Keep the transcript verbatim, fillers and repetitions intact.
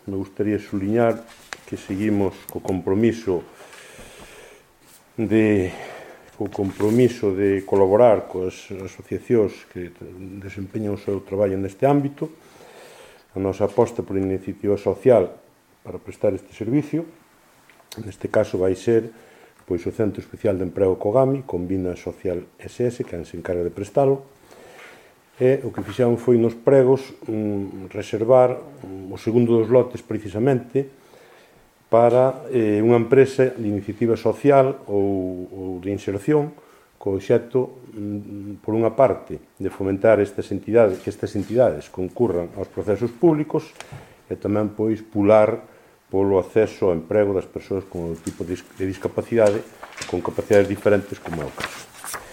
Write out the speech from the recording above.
me gustaría suliñar que seguimos co compromiso de co compromiso de colaborar coas asociacións que desempeñan o seu traballo neste ámbito, a nosa aposta por iniciativa social para prestar este servicio. Neste caso vai ser pois, o Centro Especial de Emprego Cogami, Combina Social ese ese, que se encarga de prestalo, e o que fixeron foi nos pregos um, reservar um, o segundo dos lotes precisamente para eh, unha empresa de iniciativa social ou, ou de inserción co obxecto, um, por unha parte, de fomentar estas entidades, que estas entidades concurran aos procesos públicos e tamén, pois, pular polo acceso ao emprego das persoas con o tipo de discapacidade, con capacidades diferentes, como é o caso.